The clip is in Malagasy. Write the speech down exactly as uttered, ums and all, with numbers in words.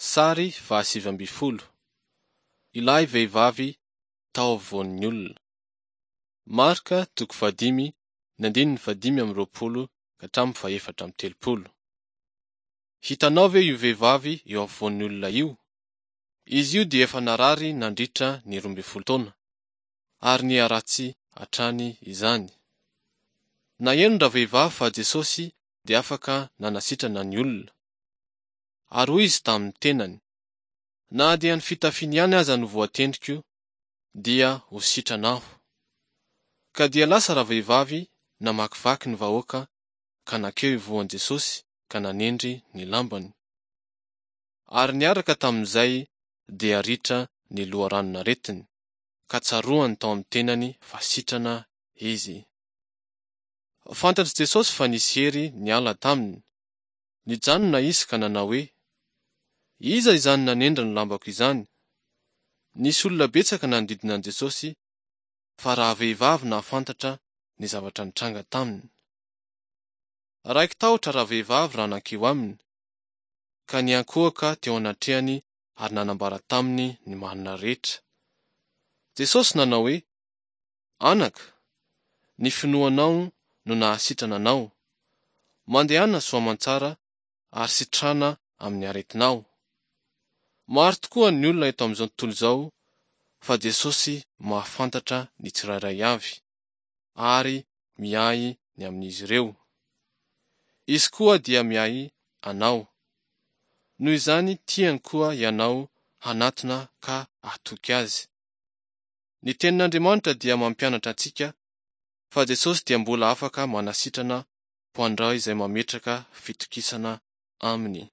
Sary fahasivy ambin'ny folo. Ilay vehivavy tao afovoan'ny olona. Marka toko fahadimy ny andininy fahadimy amby roapolo ka hatramin'ny fahefatra amby telopolo. Hitanao ve io vehivavy eo afovoan'ny olona io? Izy io dia efa narary nandritra ny roa ambin'ny folo taona, ary niharatsy hatrany izany. Naheno ravehivavy fa Jesosy dia afaka nanasitrana ny olona. Ary hoy izy tamin'ny tenany: Na dia ny fitafiany ihany aza no voatendriko, dia ho sitrana aho. Ka dia lasa ravehivavy namakivaky ny vahoaka ka nankeo ivohon'i Jesosy ka nanendry ny lambany. Ary niaraka tamin'izay dia ritra ny loharanon'aretiny, ka tsaroany tao amin'ny tenany fa sitrana izy. Fantatr'i Jesosy fa nisy hery niala taminy. Nijanona izy ka nanao hoe: Iza izany nanendry ny lambako izany? Nisy olona betsaka nanodidina an'i Jesosy, fa rahavehivavy nahafantatra ny zavatra nitranga taminy. Raiki-tahotra ravehivavy raha nankeo aminy, ka niankohoka teo anatrehany ary nanambara taminy ny marina rehetra. Jesosy nanao hoe: Anaka, ny finoanao no nahasitrana anao. Mandehana soa aman-tsara ary sitrana amin'ny aretinao. Maro tokoa ny olona eto amin'izao tontolo izao, fa Jesosy mahafantatra ny tsirairay avy ary miahy ny amin'izy ireo. Izy koa dia miahy anao. Noho izany tiany koa ianao hanatona ka hatoky Azy. Ny tenin'Andriamanitra dia mampianatra antsika fa Jesosy dia mbola afaka manasitrana ho an'ireo izay mametraka fitokisana aminy.